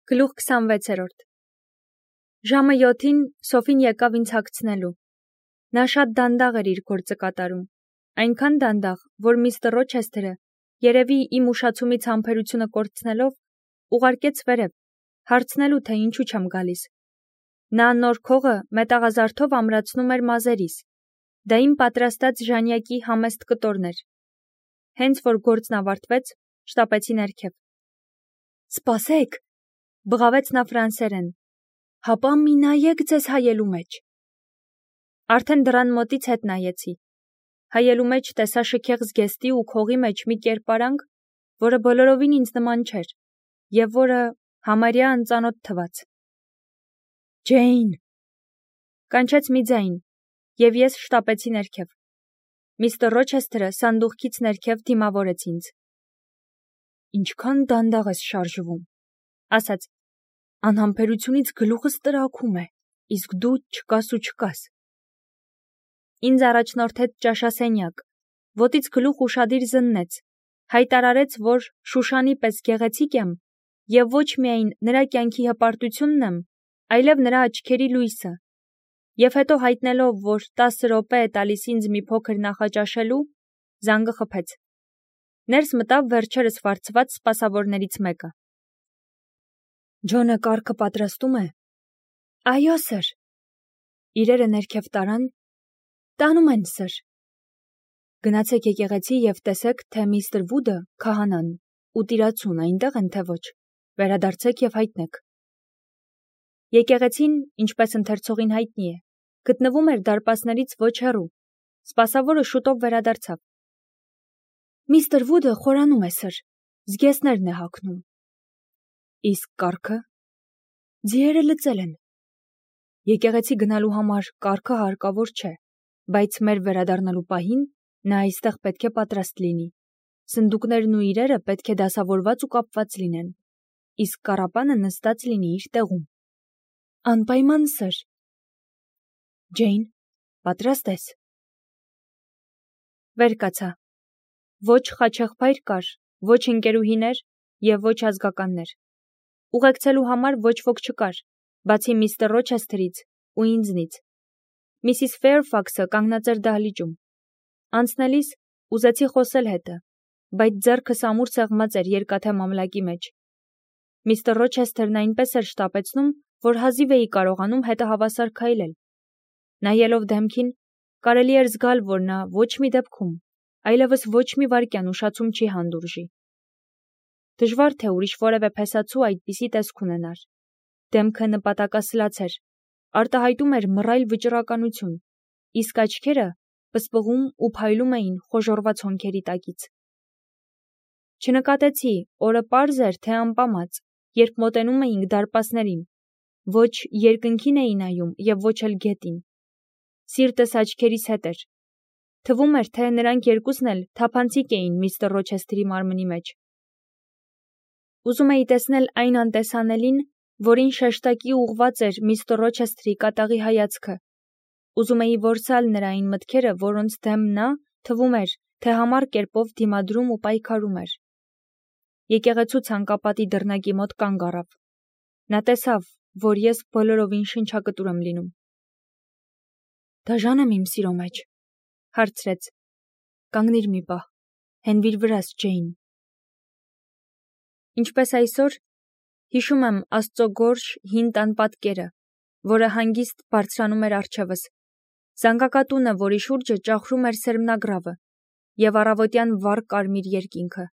Գլուխ 26-րդ Ժամը 7-ին Սոֆին եկավ ինձ հագցնելու։ Նա շատ դանդաղ էր իր գործը կատարում, այնքան դանդաղ, որ միստր Ռոչեսթերը, երևի իմ ուշացումից համբերությունը կորցնելով, ուղարկեց վերև, հարցնելու, թե ինչու չեմ գալիս։ Նա նոր քողը մետաղազարդով ամրացնում էր մազերիս, դա իմ պատրաստած ժանյակի համեստ կտորն էր։ Հենց որ գործն ավարտվեց, շտապեցի ներքև։ Սպասեք, բղավեց նա ֆրանսերեն, հապա մի նայեք ձեզ հայելու մեջ։ Արդեն դռան մոտից հետ նայեցի։ Հայելու մեջ տեսա շքեղ զգեստի ու քողի մեջ մի կերպարանք, որը բոլորովին ինձ նման չէր, և որը համարյա անծանոթ թվաց։ Ջեյն, կանչեց մի ձայն, և ես շտապեցի ներքև։ Միստր Ռոչեսթերը սանդուղքից ներքև դիմավորեց ինձ։ Ինչքան դանդաղ ես շարժվում, ասաց, անհամբերությունից գլուխս տրաքում է, իսկ դու չկաս ու չկաս։ Ինձ առաջնորդեց ճաշասենյակ, ոտից գլուխ ուշադիր զննեց, հայտարարեց, որ Շուշանի պես գեղեցիկ եմ, և ոչ միայն նրա կյանքի հպարտությունն եմ, այլև նրա աչքերի լույսը, և հետո հայտնելով, որ 10 րոպե է տալիս ինձ մի փոքր նախաճաշելու, զանգը խփեց։ Ներս մտավ վերջերս վարձված սպասավորներից մեկը։ Ջոնը կառքը պատրաստում է։ Այո, սըր։ Իրերը ներքև տարան։ Տանում են, սըր։ Գնացեք եկեղեցի և տեսեք, թե միստր Վուդը, քահանան, ու տիրացուն այնտեղ են, թե ոչ։ Վերադարձեք և հայտնեք։ Եկեղեցին, ինչպես ընթերցողին հայտնի է, գտնվում էր դարպասներից ոչ հեռու։ Սպասավորը շուտով վերադարձավ։ Միստր Վուդը խորանում է, սըր, զգեստներն է հագնում։ Իսկ կառքը։ Ձիերը լծել են։ Եկեղեցի գնալու համար կառքը հարկավոր չէ, բայց մեր վերադառնալու պահին նա այստեղ պետք է պատրաստ լինի։ Սնդուկներն ու իրերը պետք է դասավորված ու կապված լինեն, իսկ կառապանը նստած լինի իր տեղում։ Անպայման, սըր։ Ջեյն, պատրաստ ես։ Վեր կացա։ Ոչ խաչեղբայր կար, ոչ ընկերուհիներ և ոչ ազգականներ։ Ուղեկցելու համար ոչ ոք չկար, բացի միստր Ռոչեսթերից ու ինձնից։ Միսիս Ֆեյրֆաքսը կանգնած էր դահլիճում։ Անցնելիս ուզեցի խոսել հետը, բայց ձեռքս ամուր սեղմած էր երկաթե մամլակի մեջ։ Միստր Ռոչեսթերն այնպես էր շտապեցնում, որ հազիվ էի կարողանում հետը հավասար քայլել։ Նայելով դեմքին, կարելի էր զգալ, որ նա ոչ մի դեպքում, այլևս ոչ մի վայրկյան ուշացում չի հանդուրժի։ Դժվար թե ուրիշ որևէ փեսացու այդպիսի տեսք ունենար։ Դեմքը նպատակասլաց էր, արտահայտում էր մռայլ վճռականություն, իսկ աչքերը պսպղում ու փայլում էին խոժոռված հոնքերի տակից։ Չնկատեցի, օրը պարզ էր, թե անպամած, երբ մոտենում էինք դարպասներին, ոչ երկնքին էի նայում և ոչ էլ գետին։ Սիրտս աչքերիս հետ էր։ Թվում էր, թե նրանք երկուսն էլ թափանցիկ էին միստր Ռոչեսթերի մարմնի մեջ։ Ուզում էի տեսնել այն անտեսանելին, որին շեշտակի ուղղված էր միստր Ռոչեսթերի կատաղի հայացքը։ Ուզում էի որսալ նրա այն մտքերը, որոնց դեմ նա, թվում էր, թե համառ կերպով դիմադրում ու պայքարում էր։ Եկեղեցու ցանկապատի դռնակի մոտ կանգ առավ։ Նա տեսավ, որ ես բոլորովին շնչակտուր եմ լինում։ Դաժան եմ իմ սիրո մեջ, հարցրեց։ Կանգնիր մի պահ, հենվիր վրաս, Ջեյն։ Ինչպես այսօր, հիշում եմ Աստծո գորշ հին տան պատկերը, որը հանգիստ բարձրանում էր առջևս, զանգակատունը, որի շուրջը ճախրում էր սերմնագրավը, և առավոտյան վառ կարմիր երկինքը։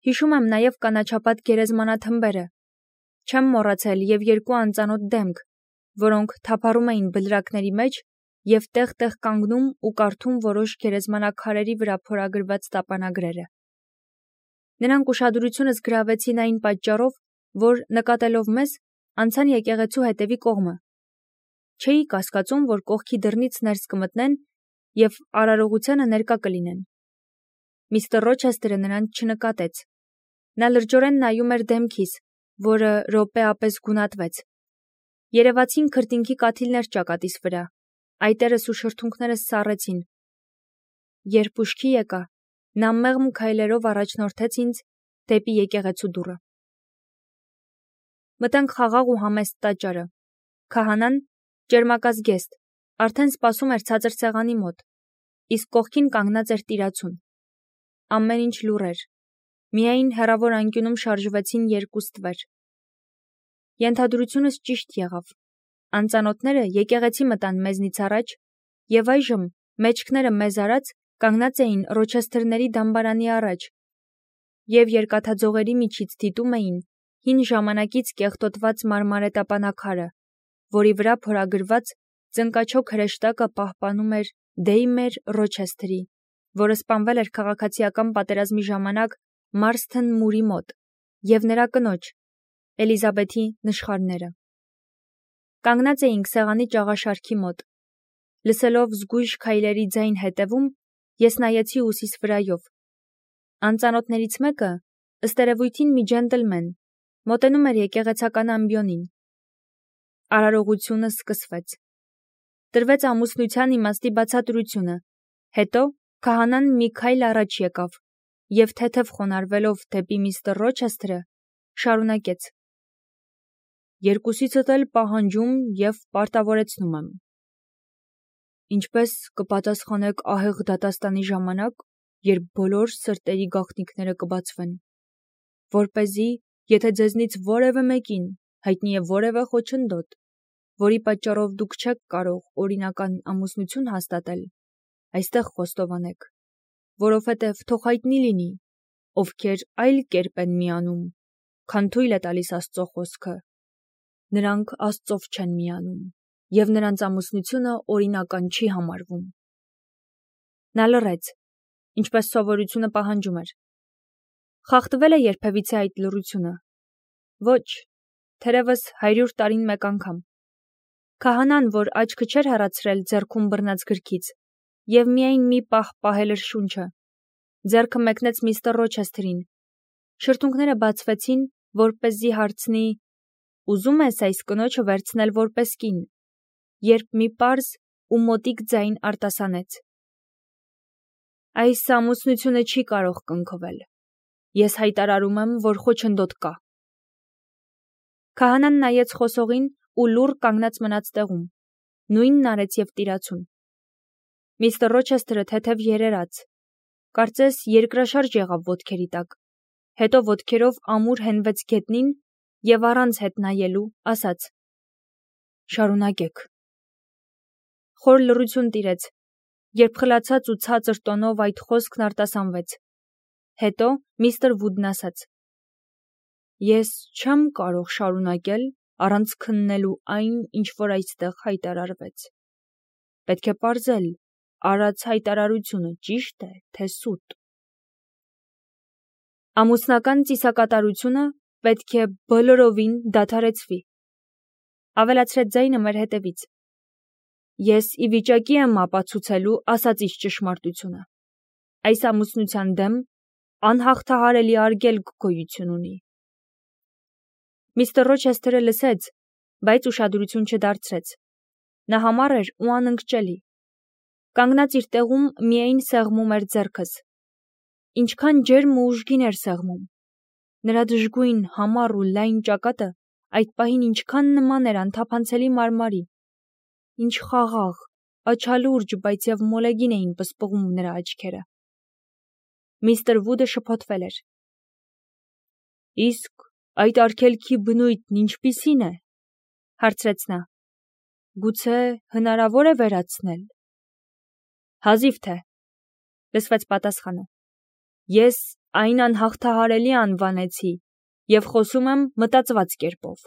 Հիշում եմ նաև կանաչապատ գերեզմանաթմբերը, չեմ մոռացել և երկու անծանոթ դեմք, որոնք թափառում էին բլրակների մեջ և տեղ-տեղ կանգնում ու կարդում որոշ գերեզմանաքարերի վրա փորագրված տապանագրերը։ Նրանք ուշադրությունս գրավեցին այն պատճառով, որ, նկատելով մեզ, անցան եկեղեցու հետևի կողմը։ Չէի կասկածում, որ կողքի դռնից ներս կմտնեն և արարողությանը ներկա կլինեն։ Միստր Ռոչեսթերը նրանց չնկատեց։ Նա լրջորեն նայում էր դեմքիս, որը րոպեապես գունատվեց։ Երևացին քրտինքի կաթիլներ ճակատիս վրա, այտերս ու շրթունքներս սառեցին։ Երբ ուշքի եկա, նա մեղմ քայլերով առաջնորդեց ինձ դեպի եկեղեցու դուռը։ Մտանք խաղաղ ու համեստ տաճարը։ Քահանան, ճերմակազգեստ, արդեն սպասում էր ցածր սեղանի մոտ, իսկ կողքին կանգնած էր տիրացուն։ Ամեն ինչ լուռ էր։ Միայն հեռավոր անկյունում շարժվեցին երկու ստվեր։ Ենթադրությունս ճիշտ եղավ։ Անծանոթները եկեղեցի մտան մեզնից առաջ, եւ այժմ, մեջքները մեզ արած, կանգնած էին Ռոչեսթերների դամբարանի առաջ, եւ երկաթաձողերի միջից դիտում էին հին ժամանակից կեղտոտված մարմարետապանակարը, որի վրա փորագրված ծնկաչոք հրեշտակը պահպանում էր Դեյմեր Ռոչեսթերի, որը սպանվել էր քաղաքացիական պատերազմի ժամանակ Մարսթեն մուրի մոտ, եւ նրա կնոջ, Էլիզաբեթի նշխարները։ Կանգնած էինք սեղանի ճաղաշարքի մոտ։ Լսելով զգույշ քայլերի ձայն հետևում, ես նայեցի ուսիս վրայով։ Անծանոթներից մեկը, ըստ երևույթին մի ջենտլմեն, մոտենում էր եկեղեցական ամբիոնին։ Արարողությունը սկսվեց։ Տրվեց ամուսնության իմաստի բացատրությունը, հետո քահանան մի քայլ առաջ եկավ եւ թեթև խոնարհվելով դեպի միստր Ռոչեսթերը շարունակեց. Երկուսիցդ էլ պահանջում եւ պարտավորեցնում եմ։ Ինչպես կպատասխանեք ահեղ դատաստանի ժամանակ, երբ բոլոր սրտերի գաղտնիքները կբացվեն, որպեսզի, եթե ձեզնից որևէ մեկին հայտնի է որևէ խոչընդոտ, որի պատճառով դուք չեք կարող օրինական ամուսնություն հաստատել, այստեղ խոստովանեք, որովհետև թող հայտնի լինի, ովքեր այլ կերպ են միանում, քան թույլ է տալիս Աստծո խոսքը, նրանք Աստծով չեն միանում, եւ նրանց ամուսնությունը օրինական չի համարվում։ Նա լռեց, ինչպես սովորությունը պահանջում էր։ Խախտվել է երբևիցե այդ լռությունը։ Ոչ, թերևս 100 տարին մեկ անգամ։ Քահանան, որ աչքը չէր հեռացրել ձեռքում բռնած գրքից, եւ միայն մի պահ պահել էր շունչը, ձեռքը մեկնեց միստր Ռոչեսթերին։ Շրթունքները բացվեցին, որպեսզի հարցնի. Ուզում ես այս կնոջը վերցնել որպես կին, երբ մի պարզ ու մոտիկ ձայն արտասանեց. Այս ամուսնությունը չի կարող կնքվել։ Ես հայտարարում եմ, որ խոչընդոտ կա։ Քահանան նայեց խոսողին ու լուռ կանգնած մնաց տեղում։ Նույնն արեց եւ տիրացուն։ Միստր Ռոչեսթերը թեթև երերաց, կարծես երկրաշարժ եղավ ոտքերի տակ, հետո ոտքերով ամուր հենվեց գետնին եւ առանց հետ նայելու ասաց. Շարունակեք։ Խոր լռություն տիրեց, երբ խլացած ու ցածր տոնով այդ խոսքն արտասանվեց։ Հետո միստր Վուդն ասաց. Ես չեմ կարող շարունակել առանց քննելու այն, ինչ որ այստեղ հայտարարվեց։ Պետք է պարզել, արած հայտարարությունը ճիշտ է, թե սուտ։ Ամուսնական ծիսակատարությունը պետք է բոլորովին դադարեցվի։ Ավելացրեց ձայնը մեր հետևից։ Ես ի վիճակի եմ ապացուցելու ասածից ճշմարտությունը։ Այս ամուսնության դեմ անհաղթահարելի արգելք գոյություն ունի։ Միստր Ռոչեսթերը լսեց, բայց ուշադրություն չդարձրեց։ Նա համառ էր ու անընկճելի։ Կանգնած իր տեղում միայն սեղմում էր ձեռքս։ Ինչքան ջերմ ու ուժգին էր սեղմում։ Նրա դժգույն, համառ ու լայն ճակատը այդ պահին ինչքան նման էր անթափանցելի մարմարի։ Ինչ խաղաղ, աչալուրջ, բայց եւ մոլեգին էին պսպղում նրա աչքերը։ Միստր Վուդը շփոթվել էր։ Իսկ այդ արգելքի բնույթն ինչպիսին է, հարցրեց նա։ Գուցե հնարավոր է վերացնել։ Հազիվ թե, լսվեց պատասխանը։ Ես այն անհաղթահարելի անվանեցի եւ խոսում եմ մտածված կերպով։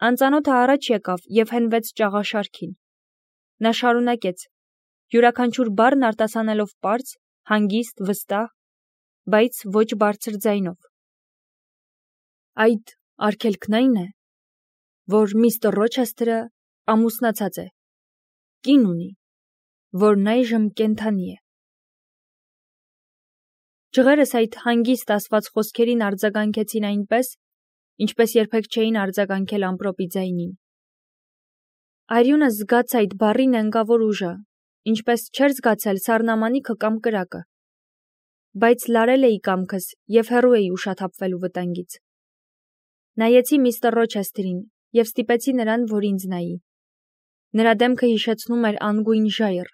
Անծանոթը առաջ եկավ եւ հենվեց ճաղաշարքին։ Նա շարունակեց, յուրաքանչյուր բառն արտասանելով պարզ, հանգիստ, վստահ, բայց ոչ բարձր ձայնով։ Այդ արգելքն այն է, որ միստր Ռոչեսթերը ամուսնացած է, կին ունի, որն այժմ կենդանի է։ Ջղերս այդ հանգիստ ասված խոսքերին արձագանքեցին այնպես, ինչպես երբեք չէին արձագանքել ամպրոպի ձայնին։ Արյունը զգաց այդ բառի նենգավոր ուժը, ինչպես չէր զգացել սառնամանիքը կամ կրակը։ Բայց լարել էի կամքս եւ հեռու էի ուշաթափվելու վտանգից։ Նայեցի միստր Ռոչեսթերին և ստիպեցի նրան, որ ինձ նայի։ Նրա դեմքը հիշեցնում էր անգույն ժայռ,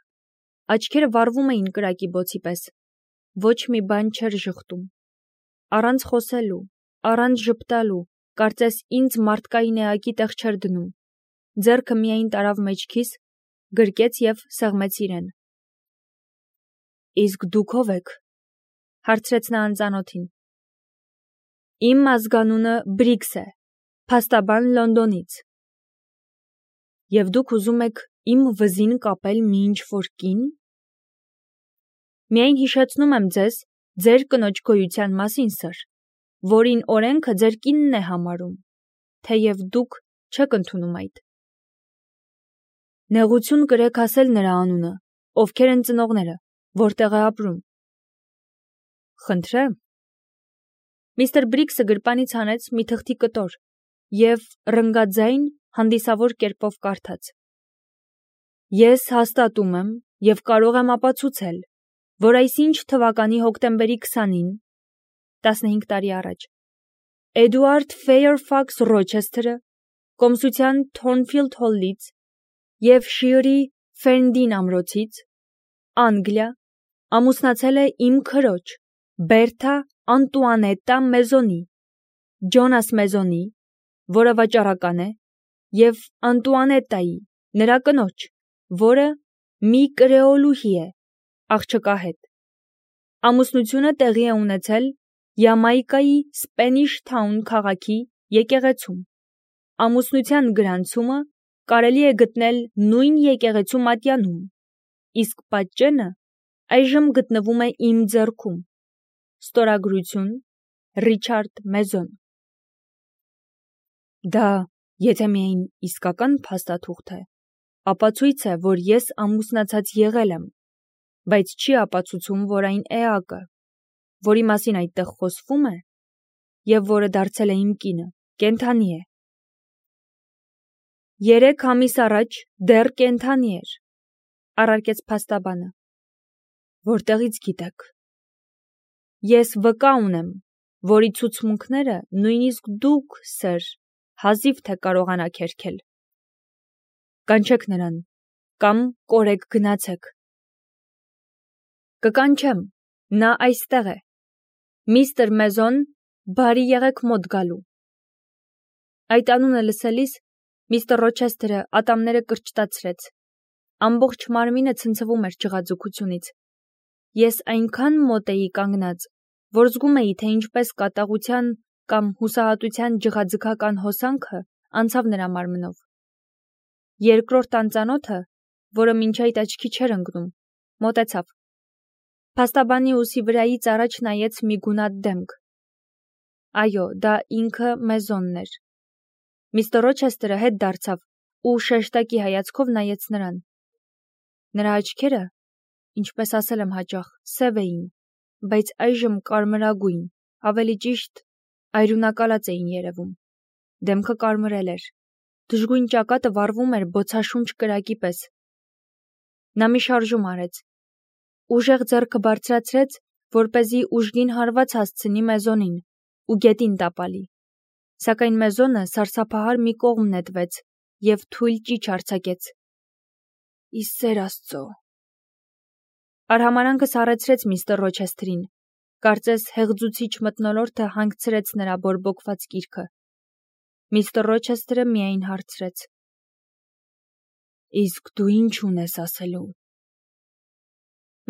աչքերը վառվում էին կրակի բոցի պես, ոչ մի բան չէր ժխտում։ Առանց խոսելու, առանց ժպտալու, կարծես ինձ մարդկային էակի տեղ չէր դնում, ձեռքը միայն տարավ մեջքիս, գրկեց և սեղմեց իրեն։ Իսկ դուք ով եք, հարցրեց նա անծանոթին։ Իմ ազգանունը Բրիքս է, փաստաբան Լոնդոնից։ Եվ դուք ուզում եք իմ վզին կապել մի ինչ-որ կին։ Միայն հիշեցնում եմ ձեզ ձեր կնոջ գոյության մասին, սըր, որին օրենքը ձեր կինն է համարում, թեև դուք չեք ընդունում այդ։ Նեղություն կրեք ասել նրա անունը, ովքեր են ծնողները, որտեղ է ապրում։ Խնդրեմ։ Միստր Բրիքսը գրպանից հանեց մի թղթի կտոր և ռնգաձայն հանդիսավոր կերպով կարդաց. Ես հաստատում եմ և կարող եմ ապացուցել, որ այսինչ թվականի հոկտեմբերի 20-ին, 15 տարի առաջ, Էդուարդ Ֆեյրֆաքս Ռոչեսթերը կոմսության Թորնֆիլդ Հոլից և Շիրի Ֆերնդին ամրոցից, Անգլիա, ամուսնացել է իմ քրոջ, Բերթա Անտուանետտա Մեզոնի, Ջոնաս Մեզոնի, որը վաճառական է, և Անտուանետտայի, նրա կնոջ, որը մի կրեոլուհի է, աղջկա հետ։ Ամուսնությունը տեղի է ունեցել Յամայկայի Սպենիշ Թաուն քաղաքի եկեղեցում։ Ամուսնության գրանցումը կարելի է գտնել նույն եկեղեցու մատյանում, իսկ պատճենը այժմ գտնվում է իմ ձեռքում։ Ստորագրություն Ռիչարդ Մեզոն։ Դա եթե միայն իսկական փաստաթուղթ է, ապացույց է, որ ես ամուսնացած եղել եմ, բայց չի ապացուցում, որ այն էակը, որի մասին այդտեղ խոսվում է, և որը դարձել է իմ կինը, կենդանի է։ 3 ամիս առաջ դեռ կենդանի էր, առարկեց փաստաբանը։ Որտեղից գիտեք։ Ես վկա ունեմ, որի ցուցմունքները նույնիսկ դուք, սըր, հազիվ թե կարողանաք հերքել։ Կանչեք նրան, կամ կորեք գնացեք։ Կկանչեմ, նա այստեղ է։ Միստր Մեզոն, բարի եղեք մոտ գալու։ Այդ անունը լսելիս միստր Ռոչեսթերը ատամները կրճտացրեց։ Ամբողջ մարմինը ցնցվում էր ջղաձգությունից։ Ես այնքան մոտ էի կանգնած, որ զգում էի, թե ինչպես կատաղության կամ հուսահատության ջղաձգական հոսանքը անցավ նրա մարմնով։ Երկրորդ անծանոթը, որը մինչ այդ աչքի չէր ընկնում, մոտեցավ։ Փաստաբանի ուսի վրայից առաջ նայեց մի գունատ դեմք։ Այո, դա ինքը Մեզոնն էր։ Միստր Ռոչեսթերը հետ դարձավ ու շեշտակի հայացքով նայեց նրան։ Նրա աչքերը, ինչպես ասել եմ հաճախ, սև էին, բայց այժմ կարմրագույն, ավելի ճիշտ, այրունակալած էին երևում։ Դեմքը կարմրել էր։ Դժգույն ճակատը վառվում էր բոցաշունչ կրակի պես։ Նա մի շարժում արեց։ Ուժեղ ձեռքը բարձրացրեց, որպեսզի ուժգին հարված հասցնի Մեզոնին ու գետին տապալի։ Սակայն Մեզոնը սարսափահար մի կողմ նետվեց և թույլ ճիչ արձակեց։ Ի սեր Աստծո։ Արհամարանքը սառեցրեց միստր Ռոչեսթերին, կարծես հեղձուցիչ մթնոլորտը հանգցրեց նրա բորբոքված կիրքը։ Միստր Ռոչեսթերը միայն հարցրեց. Իսկ դու ինչ ունես ասելու։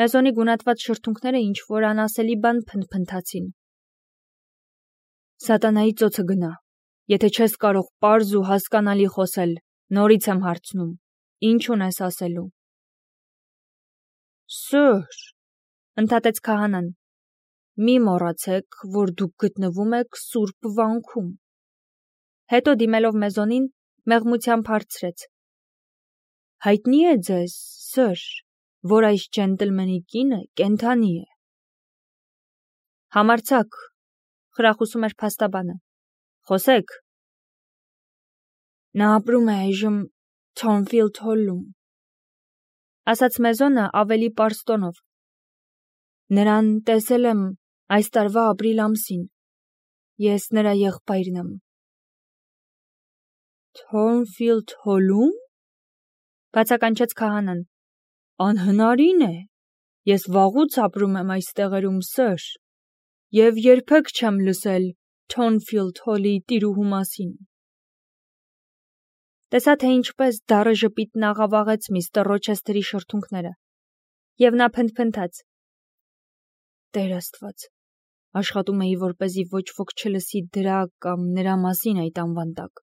Մեզոնի գունատված շրթունքները ինչ-որ անասելի բան փնթփնթացին։ Սատանայի ծոցը գնա, եթե չես կարող պարզ ու հասկանալի խոսել, նորից եմ հարցնում, ինչ ունես ասելու։ Սըր, ընդհատեց քահանան, մի մոռացեք, որ դուք գտնվում եք սուրբ վանքում։ Հետո դիմելով Մեզոնին, մեղմությամբ հարցրեց. Հայտնի է ձեզ, սըր, որ այս ջենտլմենի կինը կենդանի է։ Համարձակ, խրախուսում էր փաստաբանը։ Խոսեք։ Նա ապրում է այժմ Թորնֆիլդ Հոլում, ասաց Մեզոնը ավելի պարզ տոնով։ Նրան տեսել եմ այս տարվա ապրիլ ամսին։ Ես նրա եղբայրն եմ։ Թորնֆիլդ Հոլում, բացականչեց քահանան։ Անհնարին է։ Ես վաղուց ապրում եմ այս տեղերում, սըր, եւ երբեք չեմ լսել Թորնֆիլդ Հոլի տիրուհու մասին։ Տեսա, թե ինչպես դառը ժպիտն աղավաղեց միստր Ռոչեսթերի շրթունքները, եւ նա փնթփնթաց. Տեր Աստված, աշխատում էի, որպեսզի ոչ ոք չլսի դրա կամ նրա մասին այդ անվան տակ։